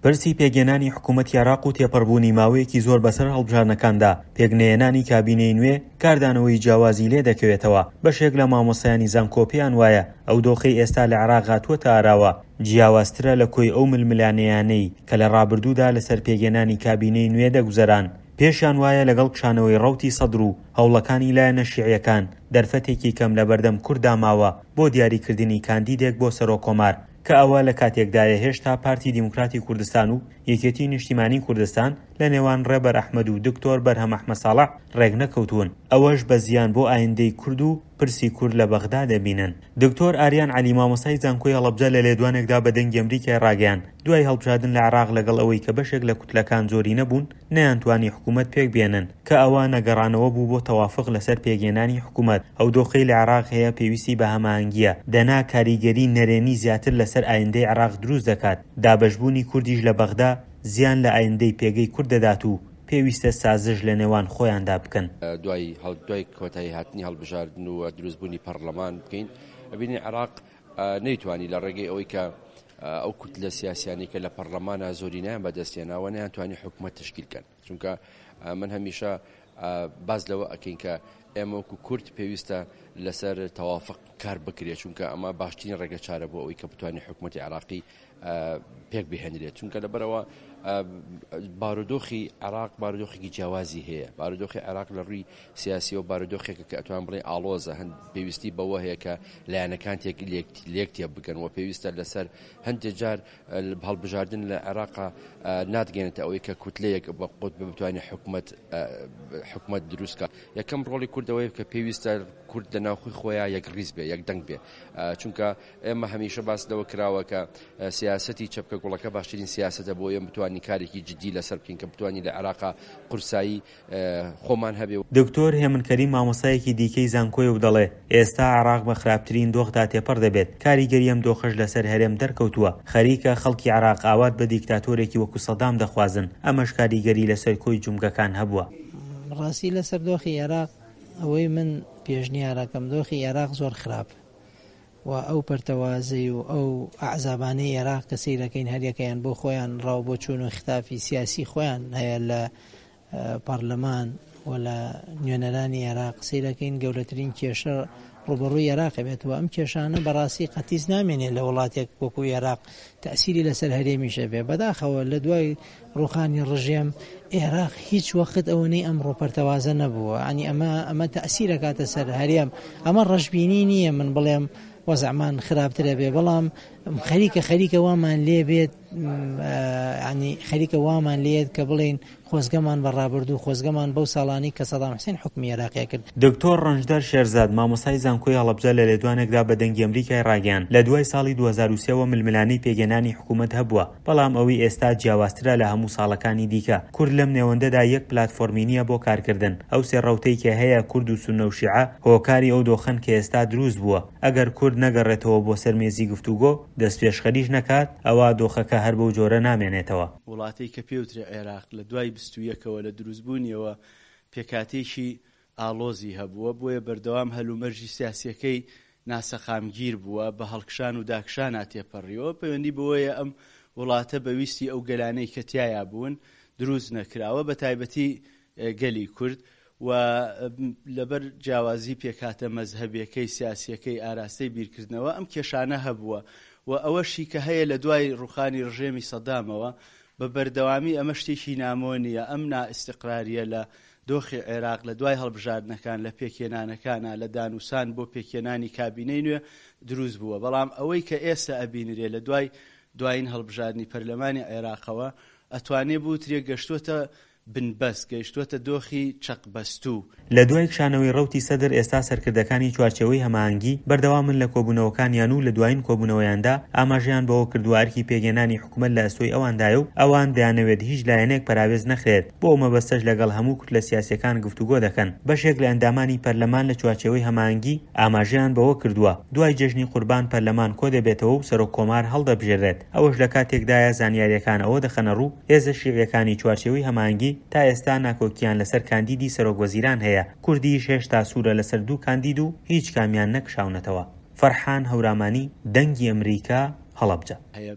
پرسی پێکهێنانی حکوومەتی عێراق و تێپەڕبوونی ماوەیەکی زۆر بەسەر هەڵبژاردنەکاندا، پێکنەهێنانی کابینەی نوێ کاردانەوەی جیاوازی لێ دەکەوێتەوە. بەشێک لە مامۆستایانی زانکۆ پێیان وایە ئەو دۆخەی ئێستا لە عێراق هاتووەتە ئاراوە، جیاوازترە لە کۆی ئەو ململانێیانەی کە لە ڕابردوودا لەسەر پێکهێنانی کابینەی نوێ دەگوزەران. پێشیان وایە لەگەڵ کشانەوەی ڕەوتی سەدر و هەوڵەکانی لایەنە شیعییەکان، دەرفەتێکی کەم لەبەردەم کورددا ماوە بۆ دیاریکردنی کاندیدێک بۆ سەرۆککۆمار، کە ئەوە لە کاتێکدایە هێشتا پارتی دیموکراتی کوردستان و یەکێتی نیشتیمانی کوردستان لە نێوان ڕێبەر ئەحمەد و دکتۆر بەرهەم ئەحمە ساڵح ڕێکنەکەوتوون، ئەوەش بە زیان بۆ ئایندەی کورد و پرسی کورد لە بەغدا دەبینن. دکتۆر ئاریان عەلی مامۆستای زانکۆی هەڵەبجە لە لێدوانێکدا بە دەنگی ئەمریکای ڕاگەیاند، دوای هەڵبژاردن لە عێراق لەگەڵ ئەوەی کە بەشێک لە کوتلەکان زۆرینە بوون نەیانتوانی حکوومەت پێکبێنن، کە ئەوە نەگەڕانەوە بوو بۆ تەوافق لەسەر پێکهێنانی حکوومەت، ئەو دۆخەی لە عێراق هەیە پێویستی بە هەماهەنگییە، دەنا کاریگەری نەرێنی زیاتر لەسەر ئایندەی عێراق دروست دەکات، دابەشبوونی کوردیش لە بەغدا زیان لە ئایندەی پێگەی کورد دەدات و پێویستە سازش لە نێوان خۆیاندا بکەن. دوای دوای کۆتایی هاتنی هەڵبژاردن و دروستبوونی پەڕلەمان بکەین، ئەبینین عێراق نەیتوانی لە ڕێگەی ئەوەی کە ئەو کوتلە سیاسیانەی کە لە پەڕلەمانە زۆرینەیان بەدەستهێناوە نەیانتوانی حکومەت تەشکیل کەن. چونکە من هەمیشە باس لەوە ئەکەین کە ئێمە وەکو کورد پێویستە لەسەر تەوافق کار بکرێت چونکە ئەمە باشترین ڕێگە چارە بۆ ئەوەی کە بتوانێت حکوومەتتی عراقی پێک بهێنرێت چونکە لەبەرەوە بارودۆخی عراق بارودۆخێکی جیاوازی هەیە بارودۆخی عراق لە ڕووی سیاسی و بارودۆخێکە کە ئەتوان بڵێ ئاڵۆزە هەند پێویستی بەوە هەیە کە لایەنەکان تێک لێک تێ بگەن و پێویستە لەسەر هەندێک جار هەڵبژاردن لە عێراقا ناتگەێنێتە ئەوەی کە کوتلەیەک بە قوت بتوانێت حکومت حکومت دروستکە یەکەم ڕۆڵی کوردەوەی کە پێویستە کورد لە ناوخۆی خۆیان یەک ڕیز بێ یەک دەنگ بێ چونکە ئێمە هەمیشە باس لەوە کراوە کە سیاستی چەپکە گوڵەکە باشترین سیاستە بۆ ئێمە بتوانین کارێکی جدی لەسەر بکەین کە بتوانین لە عێراقا قورسایی خۆمان هەبێ. دکتۆر هێمن کەریم مامۆستایەکی دیکەی زانکۆیە و دەڵێ، ئێستا عێراق بە خراپترین دۆخدا تێپەڕ دەبێت، کاریگەری ئەم دۆخەش لەسەر هەرێم دەرکەوتووە، خەریکە خەڵکی عێراق ئاوات بە دیکتاتۆرێکی وەکو سەدام دەخوازن، ئەمەش کاریگەری لەسەر کۆی جومگەکان هەبووە. ڕاستی لەسەر دۆخی عێراق ئەوەی من پێشنیارەکەم دۆخی عێراق زۆر خراپ و ئەو پەرتەوازەی و ئەو ئەحزابانەی ئێراق کە سەیرەکەین هەریەکەیان بۆ خۆیان ڕاو بۆچوون و ختافی سیاسی خۆیان هەیە لە پەڕلەمان و لە نوێنەرانی ئێراق سەیرەکەین گەورەترین کێشە ڕوبەڕووی ئێراق بێت و ئەم کێشانە بەڕاستی قەتیس نامێنێ لە وڵاتێک وەکو ئێراق تەسیری لەسەر هەرێمیشە بێ بەداخەوە لە دوای ڕوخانی ڕژێم ئێراق هیچ وەخت ئەوەنەی ئەمڕۆ پەرتەوازە نەبووە ینی ئەمە ئەمە تەسیرەکاتە سەر هەرێم ئەمە ڕەشبینی نییە من بڵێم وەزعمان خراپترە بێ بەڵام خەریکە خەریکە وامان لێ بێت ینی خەریکە وامان لێت کە بڵین خۆزگەمان بە ڕابردوو خۆزگەمان بەو ساڵانی کە سەدام حسێن حکومی عێراقی کرد. دکتۆر ڕەنجدەر شێرزاد، مامۆستای زانکۆی هەڵەبجە لە لێدوانێکدا بە دەنگی ئەمریکای ڕاگەیاند، لە دوای ساڵی 2003 وە ململانێی پێکهێنانی حکوومەت هەبووە، بەڵام ئەوەی ئێستا جیاوازترە لە هەموو ساڵەکانی دیکە، کورد لەم نێوەندەدا یەک پلاتفۆرمی نییە بۆ کارکردن، ئەو سێ ڕەوتەی کە هەیە کورد و سوننە و شیعە هۆکاری ئەو دۆخەن کە ئێستا دروست بووە، ئەگەر کورد نەگەڕێتەوە بۆ سەر مێزی گفتوگۆ، دەستپێشخەریش نەکات، ئەوا دۆخەکە هەر بەو جۆرە نامێنێتەوە. وڵاتەی کە پێوترێ عێراق لە دوای 21ەوە لە دروستبوونیەوە پێکهاتەیەکی ئاڵۆزی هەبووە، بۆیە بەردەوام هەلومەرجی سیاسییەکەی ناسەقامگیر بووە، بە هەڵکشان و داکشانا تێپەڕیوە، پەیوەندی بەوەیە ئەم وڵاتە بە ویستی ئەو گەلانەی کە تیایا بوون دروست نەکراوە، بە تایبەتی گەلی کورد و لەبەر جیاوازی پێکهاتە مەزهەبیەکەی، سیاسیەکەی، ئاراستەی بیرکردنەوە ئەم کێشانە هەبووە و ئەوەشی کە هەیە لە دوای ڕوخانی ڕژێمی سەدامەوە بە بەردەوامی ئەمە شتێکی نامۆ نییە، ئەم نائیستیقراریە لە دۆخی عێراق لە دوای هەڵبژاردنەکان، لە پێکهێنانەکانا، لە دانوسان بۆ پێکهێنانی کابینەی نوێ دروست بووە، بەڵام ئەوەی کە ئێستا ئەبینرێ لە دوای دوایین هەڵبژاردنی پەرلەمانی عێراقەوە ئەتوانێ بوترێ گەشتووەتە بنبەست، گەیشتووەتە دۆخی چەقبەستوو. لە دوای کشانەوەی ڕەوتی سەدر ئێستا سەرکردەکانی چوارچێوەی هەماهەنگی بەردەوامن لە کۆبوونەوەکانیان و لە دوایین کۆبوونەوەیاندا ئاماژەیان بەوە کردووە ئەرکی پێکهێنانی حکومەت لە ئەستۆی ئەواندایە و ئەوان دەیانەوێت هیچ لایەنێک پەراوێز نەخرێت، بۆ ئەو مەبەستەش لەگەڵ هەموو کوتلە سیاسییەکان گفتوگۆ دەکەن. بەشێک لە ئەندامانی پەرلەمان لە چوارچێوەی هەماهەنگی ئاماژەیان بەوە کردووە، دوای جەژنی قوربان پەرلەمان کۆدەبێتەوە و سەرۆک کۆمار هەڵدەبژێررێت، ئەوەش لە کاتێکدایە زانیارییەکان ئەوە دەخەنەڕوو، هێزە شیعییەکانی چوارچێوەی هەماهەنگی تا ئێستا ناکۆکییان لەسەر کاندیدی سەرۆک وەزیران هەیە، کوردیش هێشتا سوورە لەسەر دوو کاندید و هیچ کامیان نەکشاونەتەوە. فەرحان هەورامانی، دەنگی ئەمریکا، هەڵەبجە.